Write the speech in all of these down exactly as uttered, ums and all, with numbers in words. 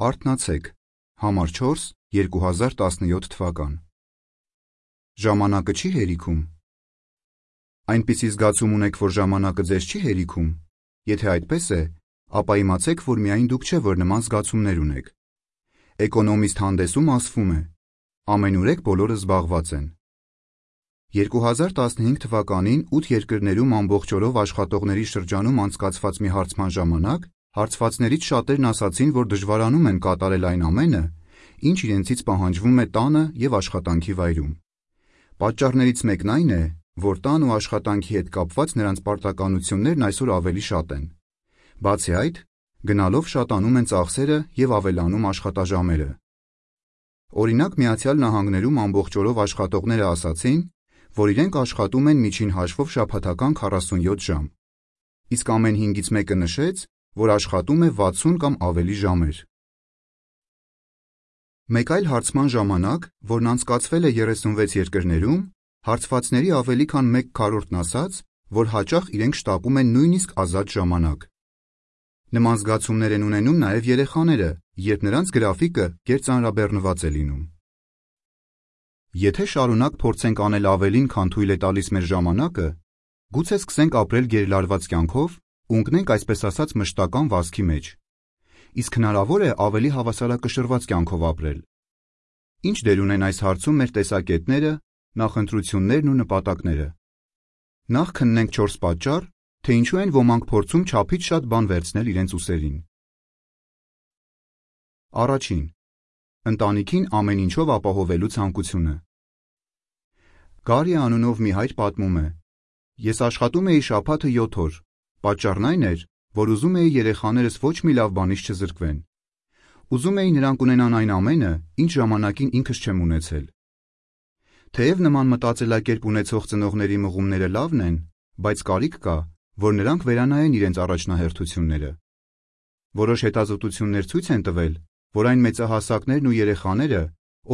Արթնացեք, համար չորս, երկու հազար տասնյոթ թվական։ Ժամանակը չի հերիքում։ Այնպիսի զգացում ունեք, որ ժամանակը ձեզ չի հերիքում։ Եթե այդպես է, ապա իմացեք, որ միայն դուք չէ, որ նման զգացումներ ունեք։ Էկոնոմիստ հանդեսում ասվում է. ամենուրեք բոլորը զբաղված են։ երկու հազար տասնհինգ թվականին ութ երկրներում ամբողջ օրով աշխատողների շրջանում անցկացված մի հարցման ժամանակ հարցվածներից շատերն ասացին, որ դժվարանում են կատարել այն ամենը, ինչ իրենցից պահանջվում է տանը և աշխատանքի վայրում։ Պատճառներից մեկն այն է, որ տան ու աշխատանքի հետ կապված նրանց պարտականություններն այսօր ավելի շատ են։ Բացի այդ, գնալով շատանում են ծախսերը և ավելանում աշխատաժամերը։ Օրինակ, Միացյալ Նահանգներում ամբողջ օրով աշխատողները ասացին, որ իրենք աշխատում են միջին հաշվով շաբաթական քառասունյոթ ժամ, իսկ ամեն հինգից մեկը նշեց, որ աշխատում է վաթսուն կամ ավելի ժամեր։ Մեկ այլ հարցման ժամանակ, որն անցկացվել է երեսունվեց երկրներում, հարցվածների ավելի քան մեկ քառորդն ասաց, որ հաճախ իրենք շտապում են նույնիսկ ազատ ժամանակ։ Նման զգացումներ են ունենում նաև երեխաները, երբ նրանց գրաֆիկը գերծանրաբեռնված է լինում։ Եթե շարունակ փորձենք անել ավելին, քան թույլ է տալիս մեր ժամանակը, գուցե սկսենք ապրել գերլարված կյանքով ու ընկնենք այսպես ասած մշտական վազքի մեջ։ Իսկ հնարավոր է ավելի հավասարակշռված կյանքով ապրել։ Ինչ դեր ունեն այս հարցում մեր տեսակետները, նախընտրություններն ու նպատակները։ Նախ քննենք չորս պատճառ, թե ինչու են ոմանք փորձում չափից շատ բան վերցնել իրենց ուսերին։ Առաջին. ընտանիքին ամեն ինչով ապահովելու ցանկությունը։ Գարի անունով մի հայր պատմում է. Ես աշխատում էի շաբաթը յոթ օր, պատճառն այն էր, որ ուզում էի երեխաներս ոչ մի լավ բանից չզրկվեն։ Ուզում էի նրանք ունենան այն ամենը, ինչ ժամանակին ինքս չեմ ունեցել։ Թեև նման մտածելակերպ ունեցող ծնողների մղումները լավն են, բայց կարիք կա, որ նրանք վերանայեն իրենց առաջնահերթությունները։ Որոշ հետազոտություններ ցույց են տվել, որ այն մեծահասակներն ու երեխաները,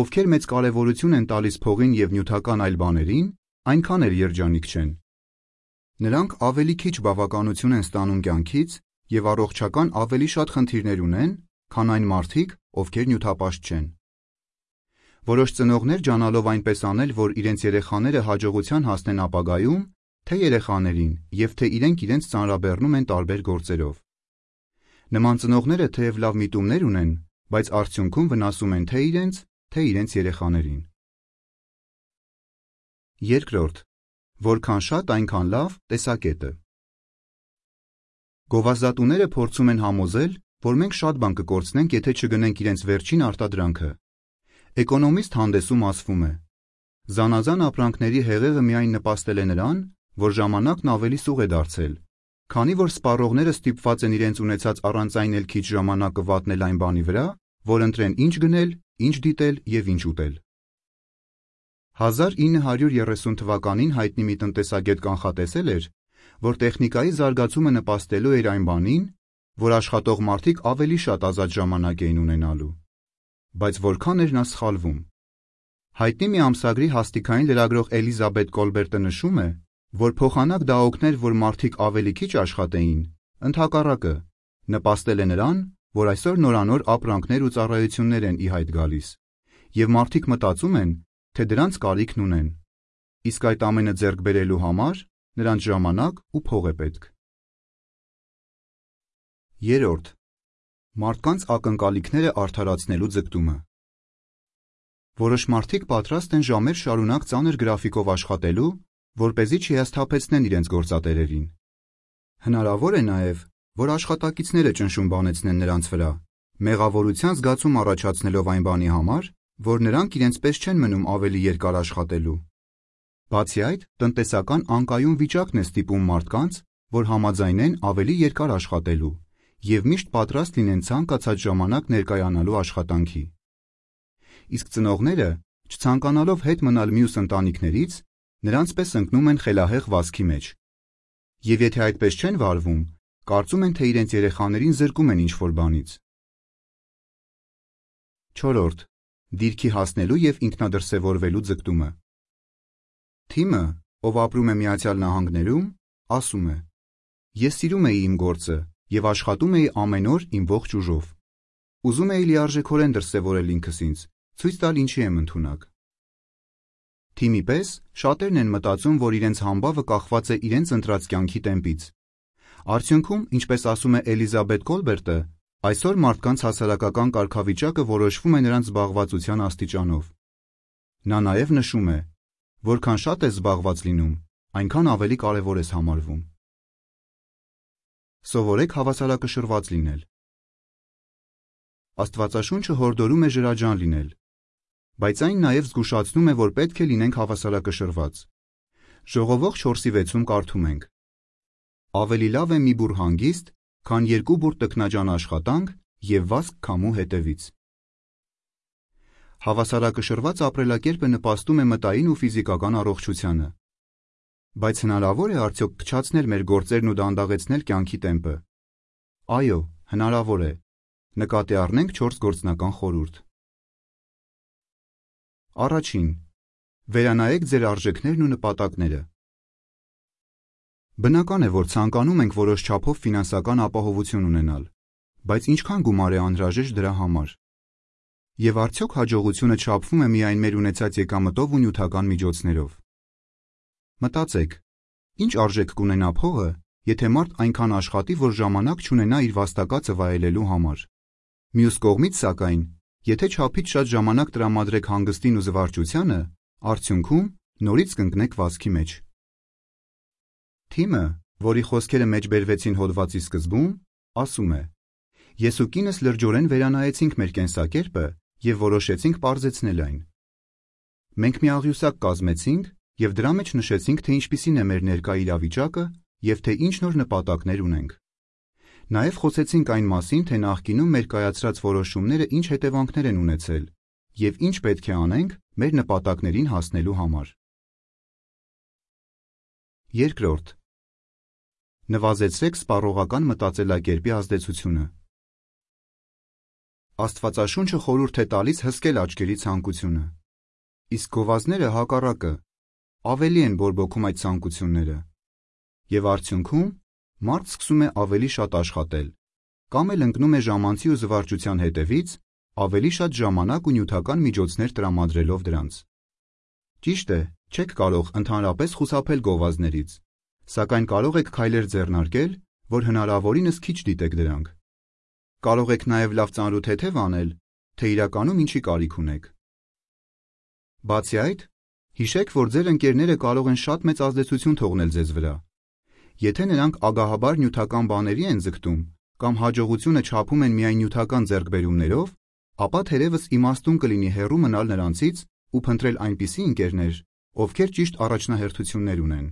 ովքեր մեծ կարևորություն են տալիս փողին և նյութական այլ բաներին, այնքան էլ երջանիկ չեն։ Նրանք ավելի քիչ բավականություն են ստանում կյանքից և առողջական ավելի շատ խնդիրներ ունեն, քան այն մարդիկ, ովքեր նյութապաշտ չեն։ Որոշ ծնողներ ջանալով այնպես անել, որ իրենց երեխաները հաջողության հասնեն ապագայում, թե երեխաներին և թե իրենք իրենց ծանրաբեռնում են տարբեր գործերով։ Նման ծնողները թեև լավ միտումներ ունեն, բայց արդյունքում վնասում են թե իրենց, թե իրենց երեխաներին։ Երկրորդ. որքան շատ, այնքան լավ տեսակետը։ Գովազդատուները փորձում են համոզել, որ մենք շատ բան կկորցնենք, եթե չգնենք իրենց վերջին արտադրանքը։ Էկոնոմիստ հանդեսում ասվում է. զանազան ապրանքների հեղեղը միայն նպաստել է նրան, որ ժամանակն ավելի սուղ է դարձել, քանի որ սպառողները ստիպված են իրենց ունեցած առանց այն էլ քիչ ժամանակը վատնել այն բանի վրա, որ ընտրեն ինչ գնել, ինչ դիտել և ինչ ուտել։ հազար ինը հարյուր երեսուն թվականին հայտնի մի տնտեսագետ կանխատեսել էր, որ տեխնիկայի զարգացումը նպաստելու էր այն բանին, որ աշխատող մարդիկ ավելի շատ ազատ ժամանակ էին ունենալու։ Բայց որքան էր նա սխալվում։ Հայտնի մի ամսագրի հաստիքային լրագրող Էլիզաբեթ Կոլբերտը նշում է, որ փոխանակ դա օգներ, որ մարդիկ ավելի քիչ աշխատեին, ընդհակառակը, նպաստել է նրան, որ այսօր նորանոր ապրանքներ ու ծառայություններ են ի հայտ գալիս, և մարդիկ մտածում են, թե դրանց կարիքն ունեն, իսկ այդ ամենը ձեռք բերելու համար նրանց ժամանակ ու փող է պետք։ Երրորդ. մարդկանց ակնկալիքները արդարացնելու ձգտումը։ Որոշ մարդիկ պատրաստ են ժամեր շարունակ ծանր գրաֆիկով աշխատելու, որպեսզի չհիասթափեցնեն իրենց գործատերերին։ Հնարավոր է նաև, որ աշխատակիցները ճնշում բանեցնեն նրանց վրա, մեղավորության զգացում առաջացնելով այն բանի համար, որ նրանք իրենց պես չեն մնում ավելի երկար աշխատելու։ Բացի այդ, տնտեսական անկայուն վիճակն է ստիպում մարդկանց, որ համաձայնեն ավելի երկար աշխատելու և միշտ պատրաստ լինեն ցանկացած ժամանակ ներկայանալու աշխատանքի։ Իսկ ծնողները, չցանկանալով հետ մնալ մյուս ընտանիքներից, նրանց պես ընկնում են խելահեղ վազքի մեջ։ Եվ եթե այդպես չեն վարվում, կարծում են, թե իրենց երեխաներին զրկում են ինչ-որ բանից։ Չորրորդ. դիրքի հասնելու և ինքնադրսևորվելու ձգտումը։ Թիմը, ով ապրում է Միացյալ Նահանգներում, ասում է. Ես սիրում էի իմ գործը և աշխատում էի ամեն օր իմ ողջ ուժով։ Ուզում էի լիարժեքորեն դրսևորել ինքս ինձ, ցույց տալ ինչի եմ ընդունակ։ Թիմի պես շատերն են մտածում, որ իրենց համբավը կախված է իրենց ընտրած կյանքի տեմպից։ Արդյունքում, ինչպես ասում է Էլիզաբեթ Կոլբերտը, այսօր մարդկանց հասարակական կարգավիճակը որոշվում է նրանց զբաղվածության աստիճանով։ Նա նաև նշում է, որքան շատ ես զբաղված լինում, այնքան ավելի կարևոր ես համարվում։ Սովորեք հավասարակշռված լինել։ Աստվածաշունչը հորդորում է ջրաջան լինել, բայց այն նաև զգուշացնում է, որ պետք է լինենք հավասարակշռված։ Ժողովող չորսի վեցում կարդում ենք. Ավելի լավ է մի բուռ հանգիստ, քան երկու բուռ տքնաջան աշխատանք և վազք քամու հետևից։ Հավասարակշռված ապրելակերպը նպաստում է մտային ու ֆիզիկական առողջությանը։ Բայց հնարավոր է արդյոք փչացնել մեր գործերն ու դանդաղեցնել կյանքի տեմպը։ Այո, հնարավոր է։ Նկատի առնենք չորս գործնական խորհուրդ։ Առաջին. վերանայեք ձեր արժեքներն ու նպատակները։ Բնական է, որ ցանկանում ենք որոշ չափով ֆինանսական ապահովություն ունենալ, բայց ինչքան գումար է անհրաժեշտ դրա համար։ Եվ արդյոք հաջողությունը չափվում է միայն մեր ունեցած եկամտով ու նյութական միջոցներով։ Մտածեք, ինչ արժեք կունենա փողը, եթե մարդ այնքան աշխատի, որ ժամանակ չունենա իր վաստակածը վայելելու համար։ Մյուս կողմից, սակայն, եթե չափից շատ ժամանակ տրամադրեք հանգստին ու զվարճությանը, արդյունքում նորից կընկնեք վազքի մեջ։ Թիմը, որի խոսքերը մեջբերվեցին հոդվածի սկզբում, ասում է. Ես ու կինս լրջորեն վերանայեցինք մեր կենսակերպը և որոշեցինք պարզեցնել այն։ Մենք մի աղյուսակ կազմեցինք և դրա մեջ նշեցինք, թե ինչպիսին է մեր ներկա իրավիճակը և թե ինչ նոր նպատակներ ունենք։ Նաև խոսեցինք այն մասին, թե նախկինում մեր կայացրած որոշումները ինչ հետևանքներ են ունեցել և ինչ պետք է անենք մեր նպատակներին հասնելու համար։ Երկրորդ. նվազեցրեք սպառողական մտածելակերպի ազդեցությունը։ Աստվածաշունչը խորհուրդ է տալիս հսկել աչքերի ցանկությունը։ Իսկ գովազները հակառակը, ավելի են բորբոքում այդ ցանկությունները։ Եվ արդյունքում մարդ սկսում է ավելի շատ աշխատել, կամ էլ ընկնում է ժամանցի ու զվարճության հետևից, ավելի շատ ժամանակ ու նյութական միջոցներ տրամադրելով դրանց։ Ճիշտ է, չեք կարող ընդհանրապես խուսափել գովազներից, սակայն կարող եք քայլեր ձեռնարկել, որ հնարավորինս քիչ դիտեք դրանք։ Կարող եք նաև լավ ծանրութեթև անել, թե իրականում ինչի կարիք ունեք։ Բացի այդ, հիշեք, որ ձեր ընկերները կարող են շատ մեծ ազդեցություն թողնել ձեզ վրա։ Եթե նրանք ագահաբար նյութական բաների են ձգտում, կամ հաջողությունը չափում են միայն նյութական ձեռքբերումներով, ապա թերևս իմաստուն կլինի հեռու մնալ նրանցից ու փնտրել այնպիսի ընկերներ, ովքեր ճիշտ առաջնահերթություններ ունեն։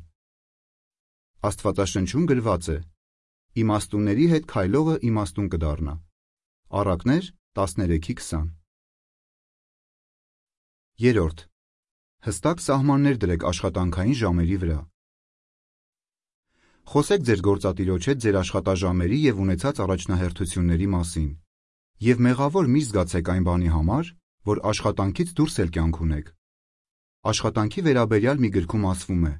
Աստվածաշնչում գրված է. իմաստունների հետ քայլողը իմաստուն կդառնա։ Առակներ տասներեքի քսան։ Երրորդ. հստակ սահմաններ դրեք աշխատանքային ժամերի վրա։ Խոսեք ձեր գործատիրոջ հետ ձեր աշխատաժամերի և ունեցած առաջնահերթությունների մասին, և մեղավոր մի զգացեք այն բանի համար, որ աշխատանքից դուրս էլ կյանք ունեք։ Աշխատանքի վերաբերյալ մի գրքում ասվում է.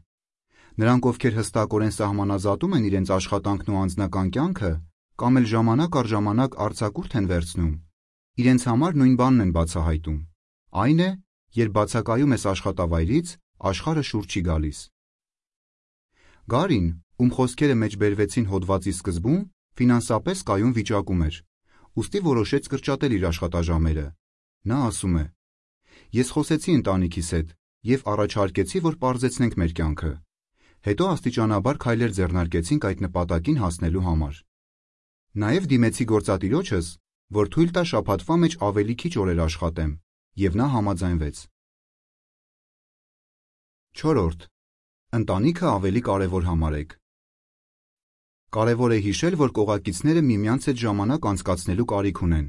նրանք, ովքեր հստակորեն սահմանազատում են իրենց աշխատանքն ու անձնական կյանքը, կամ էլ ժամանակ առ ժամանակ արձակուրդ են վերցնում, իրենց համար նույն բանն են բացահայտում, այն է, երբ բացակայում ես աշխատավայրից, աշխարհը շուրջ չի գալիս։ Գարին, ում խոսքերը մեջբերվեցին հոդվածի սկզբում, ֆինանսապես կայուն վիճակում էր, ուստի որոշեց կրճատել իր աշխատաժամերը։ Նա ասում է. Ես խոսեցի ընտանիքիս հետ և առաջարկեցի, որ պարզեցնենք մեր կյանքը։ Հետո աստիճանաբար քայլեր ձեռնարկեցինք այդ նպատակին հասնելու համար։ Նաև դիմեցի գործատիրոջս, որ թույլ տա շաբաթվա մեջ ավելի քիչ օրեր աշխատեմ, և նա համաձայնվեց։ Չորրորդ. ընտանիքը ավելի կարևոր համարեք։ Կարևոր է հիշել, որ կողակիցները միմյանց հետ ժամանակ անցկացնելու կարիք ունեն։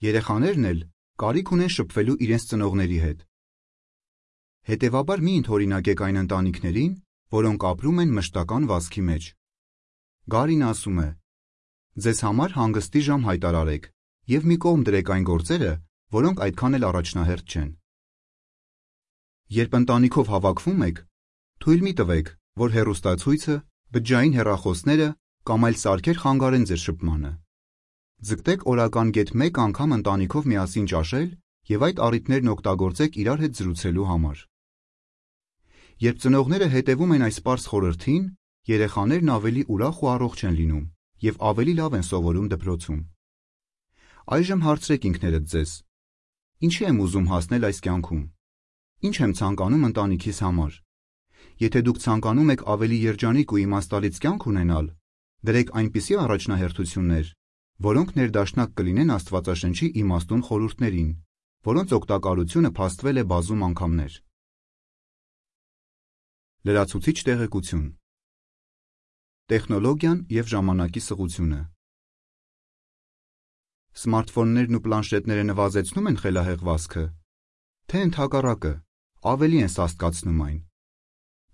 Երեխաներն էլ կարիք ունեն շփվելու իրենց ծնողների հետ։ Հետևաբար մի ընդօրինակեք այն ընտանիքներին, որոնք ապրում են մշտական վազքի մեջ։ Գարին ասում է. ձեզ համար հանգստի ժամ հայտարարեք և մի կողմ դրեք այն գործերը, որոնք այդքան էլ առաջնահերթ չեն։ Երբ ընտանիքով հավաքվում եք, թույլ մի տվեք, որ հեռուստացույցը, բջջային հեռախոսները կամ այլ սարքեր խանգարեն ձեր շփմանը։ Ձգտեք օրական գեթ մեկ անգամ ընտանիքով միասին ճաշել և այդ առիթներն օգտագործեք իրար հետ զրուցելու համար։ Երբ ծնողները հետևում են այս պարզ խորհրդին, երեխաներն ավելի ուրախ ու առողջ են լինում և ավելի լավ են սովորում դպրոցում։ Այժմ հարցրեք ինքներդ ձեզ. ինչի եմ ուզում հասնել այս կյանքում։ Ինչ եմ ցանկանում ընտանիքիս համար։ Եթե դուք ցանկանում եք ավելի երջանիկ ու իմաստալից կյանք ունենալ, դրեք այնպիսի առաջնահերթություններ, որոնք ներդաշնակ կլինեն Աստվածաշնչի իմաստուն խորհուրդներին, որոնց օգտակարությունը փաստվել է բազում անգամներ։ Լրացուցիչ տեղեկություն։ Տեխնոլոգիան և ժամանակի սղությունը։ Սմարթֆոններն ու պլանշետները նվազեցնում են խելահեղվածքը, թե ընդհակառակը, ավելի են սաստկացնում այն։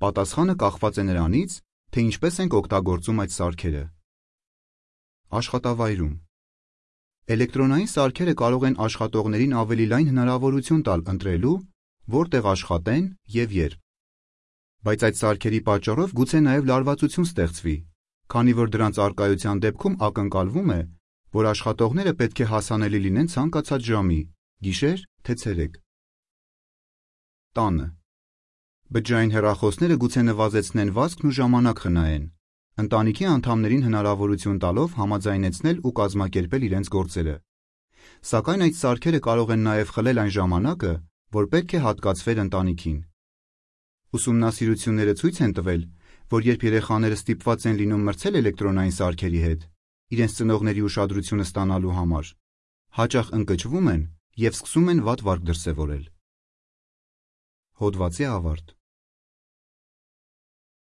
Պատասխանը կախված է նրանից, թե ինչպես ենք օգտագործում այդ սարքերը։ Աշխատավայրում։ Էլեկտրոնային սարքերը կարող են աշխատողներին ավելի լայն հնարավորություն տալ ընտրելու, որտեղ աշխատեն և երբ։ Բայց այդ սարքերի պատճառով գուցե նաև լարվածություն ստեղծվի, քանի որ դրանց առկայության դեպքում ակնկալվում է, որ աշխատողները պետք է հասանելի լինեն ցանկացած ժամի, գիշեր, թե ցերեկ։ Տանը։ Բջջային հեռախոսները գուցե նվազեցնեն վազքն ու ժամանակ խնայեն, ընտանիքի անդամներին հնարավորություն տալով համաձայնեցնել ու կազմակերպել իրենց գործերը։ Սակայն այդ սարքերը կարող են նաև խլել այն ժամանակը, որ պետք է հատկացվեր ընտանիքին։ Ուսումնասիրությունները ցույց են տվել, որ երբ երեխաները ստիպված են լինում մրցել էլեկտրոնային սարքերի հետ, իրենց ծնողների ուշադրությունը ստանալու համար, հաճախ ընկճվում են և սկսում են վատ վարք դրսևորել։ Հոդվացի ավարտ։